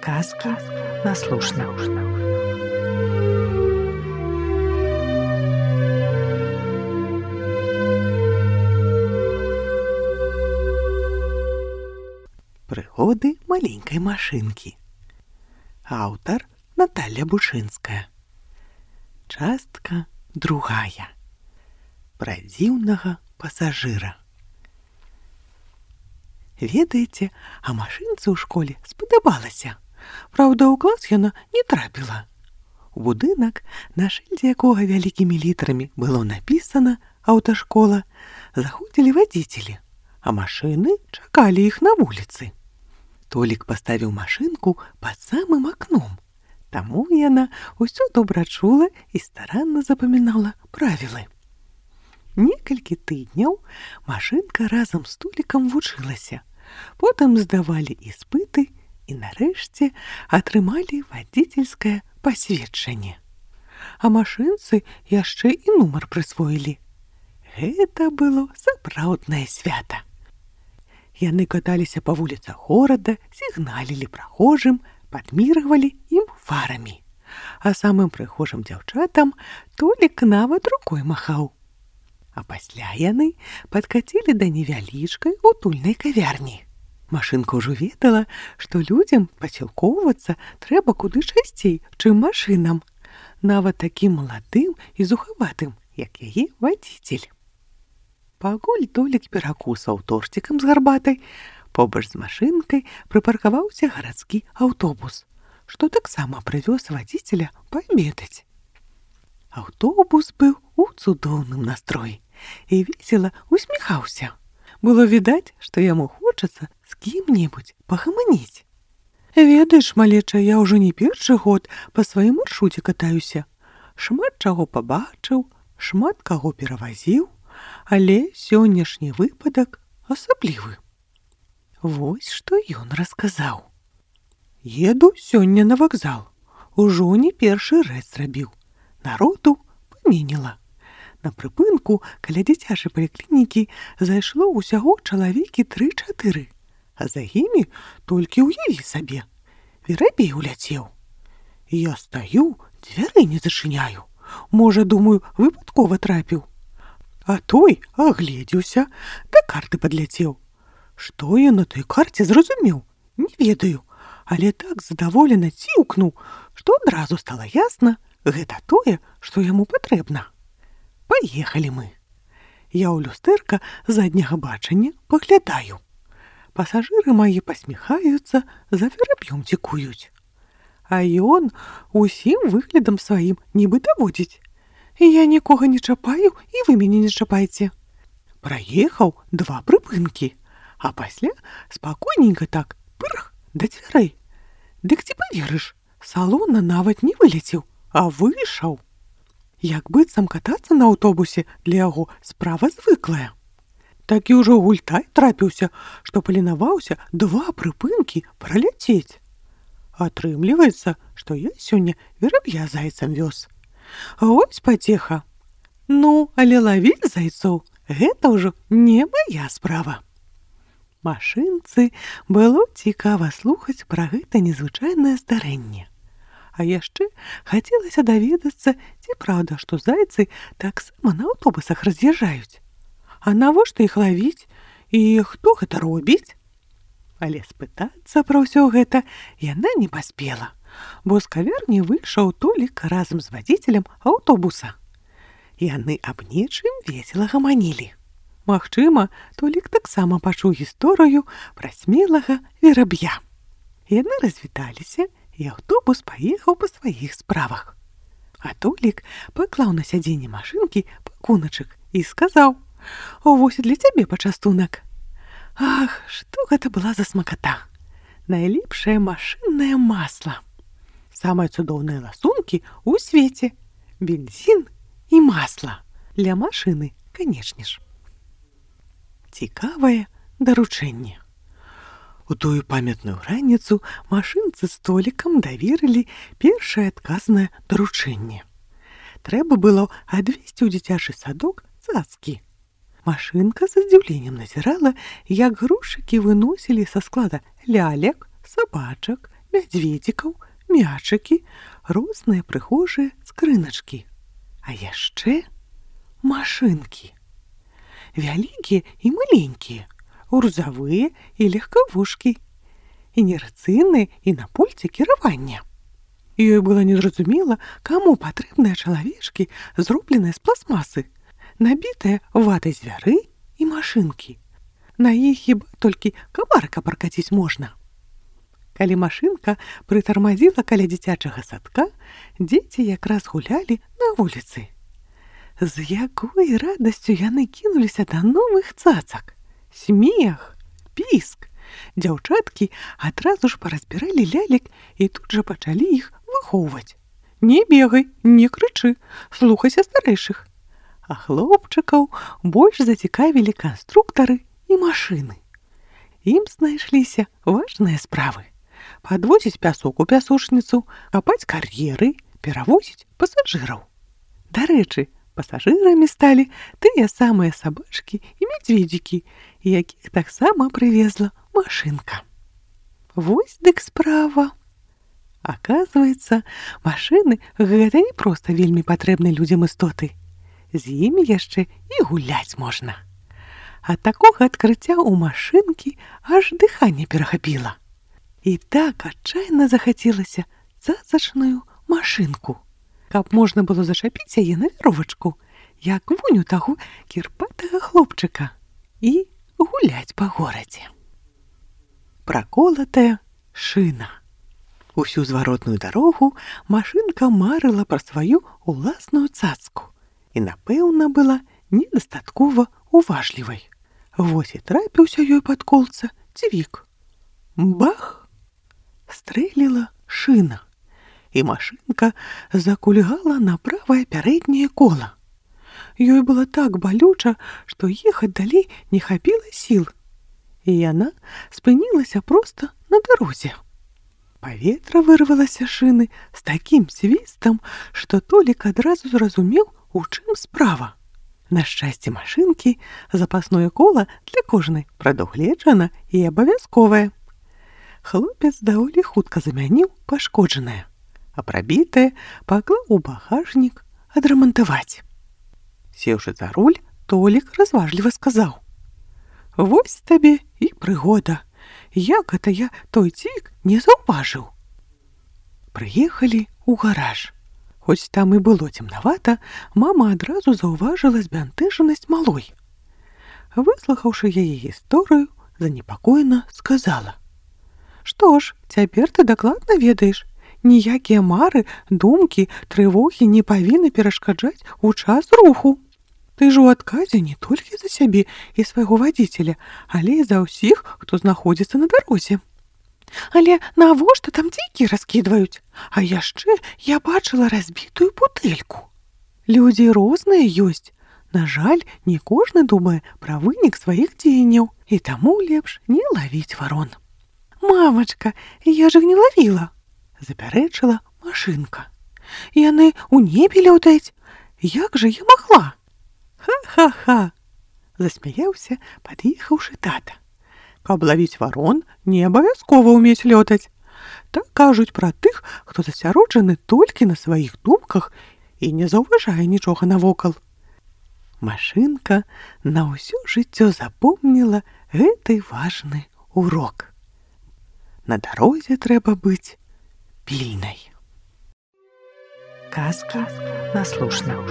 Казки на слушна. Пригоды маленькой машинки. Аўтар Наталья Бушынская. Частка другая. Пра дзіўнага пасажыра. Ведаеце, а машынцы ў школе спадабалася. Праўда, у клас яна не трапіла. У будынак, на шыльдзе якога вялікімі літарамі было напісана «Аўташкола», заходзілі вадзіцелі, а машыны чакалі іх на вуліцы. Толік паставіў машынку пад самым акном. Таму яна ўсё добра чула і старанна запамінала правілы. Некалькі тыдняў машынка разам з Толікам вучылася. Потым здавалі іспыты і нарэшце атрымалі вадзіцельскае пасведчанне. А машынцы яшчэ і нумар прысвоілі. Гэта было сапраўднае свята. Яны каталіся па вуліцах горада, сігналілі прахожым, падміргвалі ім фарамі. А самым прыгожым дзяўчатам Толік нават рукой махаў. А пасля яны падкацілі да невялічкай утульнай кавярні. Машынка ўжо ведала, што людзям пасілкоўвацца трэба куды часцей, чым машынам, нават такім маладым і зухаватым, як яе вадзіцель. Пакуль Толік перакусаў торцікам з гарбатай, побач з машынкай прыпаркаваўся гарадскі аўтобус, што таксама прывёз вадзіцеля паабедаць. Аўтобус быў у цудоўным настроі і весела усміхаўся. Было відаць, што яму хочацца з кім-небудзь пагаманіць. Ведаеш, малеча, я ўжо не першы год па сваім маршруце катаюся. Шмат чаго пабачыў, шмат каго перавазіў, але сённяшні выпадак асаблівы. Вось што ён расказаў. Еду сёння на вакзал. Ужо не першы рэз зрабіў. Народу паменела. На прыпынку каля дзіцячай паліклінікі зайшло ўсяго чалавекі 3-4, а за імі толькі ўяві сабе. Верабей уляцеў. Я стаю, дзвярэй не зачыняю. Можа, думаю, выпадкова трапіў. А той агледзеўся, да карты падляцеў. Што я на той карце зразумеў? Не ведаю, але так задаволена ціўкнуў, што адразу стала ясна, гэта тое, што яму патрэбна. Паехалі мы. Я ў люстэрка задняга бачання паглядаю. Пасажыры мае пасміхаюцца, за вераб'ём дзікуюць. А ён усім выглядам сваім нібы даводзіць. Я нікога не чапаю, і вы мяне не чапайце. Праехаў 2 прыпынкі, а пасля спакойненька так, пырх, да дзвярэй. Дык ці паверыш, салона нават не вылецеў, а выйшаў. Як быццам катацца на аўтобусе для яго справа звыклая. Такі ўжо гультай трапіўся, што паленаваўся 2 прыпынкі праляцець. Атрымліваецца, што я сёння вераб'я зайцам вёз. Вось пацеха. Ну, але лавіць зайцоў — гэта ўжо не мая справа. Машынцы было цікава слухаць пра гэта незвычайнае здарэнне. А яшчэ хацелася даведацца, ці праўда, што зайцы таксама на аўтобусах раз'язджаюць. А навошта іх лавіць і хто гэта робіць? Але спытацца пра ўсё гэта яна не паспела, бо з кавярні выйшаў Толік разам з вадзіцелем аўтобуса. Яны аб нечым весела гаманілі. Магчыма, Толік таксама пачуў гісторыю пра смелага вераб'я. Яны развіталіся, і аўтобус паехаў па сваіх справах. А Толік паклаў на сядзенне машынкі пакуначак і сказаў: «Вось для цябе пачастунак». Ах, што гэта была за смаката! Найлепшае машыннае масла. Самыя цудоўныя ласункі ў свеце. Бензін і масла. Для машыны, канечне ж. Цікавае даручэнне. У тую памятную раніцу машынцы з Толікам даверылі першае адказнае даручэнне. Трэба было адвезці ў дзіцячы садок цацкі. Машынка з здзіўленнем назірала, як грузчыкі выносілі са склада лялек, сабачак, мядзведзікаў, мячыкі, розныя прыгожыя скрыначкі. А яшчэ машынкі. Вялікія і маленькія, грузавыя і легкавушкі, інерцыйныя і на пульце кіравання. Ёй было незразумела, каму патрэбныя чалавечкі, зробленыя з пластмасы, набітыя ватай звяры і машынкі. На іх хіба толькі камарка пракаціць можна. Калі машынка прытармазіла каля дзіцячага садка, дзеці якраз гулялі на вуліцы. З якой радасцю яны кінуліся да новых цацак. Смех, піск. Дзяўчаткі адразу ж паразбіралі лялек і тут жа пачалі іх выхоўваць. Не бегай, не крычы, слухайся старэйшых. А хлопчыкаў больш зацікавілі канструктары і машыны. Ім знайшліся важныя справы. Падвозіць пясок у пясочніцу, капаць кар'еры, перавозіць пасажыраў. Дарэчы, пасажырамі сталі тыя самыя сабачкі і мядзведзікі, якіх таксама прывезла машынка. Вось дык справа. Аказваецца, машыны гэта не проста вельмі патрэбны людзям істоты. З імі яшчэ і гуляць можна. Ад такога адкрыцця ў машынкі аж дыханне перахапіла. І так адчайна захацелася цацачную машынку, каб можна было зачапіць яе на вяровачку, як вунь у таго кірпатага хлопчыка, і гуляць па горадзе. Праколатая шына. Усю зваротную дарогу машынка марыла пра сваю уласную цацку і, напэўна, была недастаткова уважлівай. Вось і трапіўся ёй пад колца цівік. Бах! Стрэліла шына, і машынка закульгала на правае пярэдняе кола. Ёй было так балюча, што ехаць далей не хапіла сіл, і яна спынілася проста на дарозе. Паветра вырвалася шыны з такім свістам, што Толік адразу зразумеў, у чым справа. На шчасце машынкі запасное кола для кожнай прадугледжана і абавязковае. Хлопец даволі хутка замяніў пашкоджанае, а прабітае паклаў у багажнік адрамантаваць. Сеўшы за руль, Толік разважліва сказаў: «Вось табе і прыгода. Як гэта я той цівік не заўважыў?» Прыехалі ў гараж. Хоць там і было цемнавата, мама адразу заўважыла збянтэжанасць малой. Выслухаўшы яе гісторыю, занепакоена сказала: «Што ж, цяпер ты дакладна ведаеш, ніякія мары, думкі, трывогі не павінны перашкаджаць у час руху. Ты ж у адказе не толькі за сябе і свайго вадзіцеля, але і за ўсіх, хто знаходзіцца на дарозе. Але навошта там дзікі раскідваюць? А яшчэ я бачыла разбітую бутэльку. Людзі розныя ёсць. На жаль, не кожны думае пра вынік сваіх дзеянняў, і таму лепш не лавіць варон». «Мамачка, я ж іх не лавіла», — запярэчыла машынка. «Яны ў небе лётаюць. Як жа я магла?» «Ха-ха-ха!» — засмяяўся, пад'ехаўшы тата. «Каб лавіць варон, не абавязкова ўмець лётаць. Так кажуць пра тых, хто засяроджаны толькі на сваіх думках і не заўважае нічога навокал». Машынка на ўсё жыццё запомніла гэты важны урок. На дарозе трэба быць пільнай. Казкі на слушна.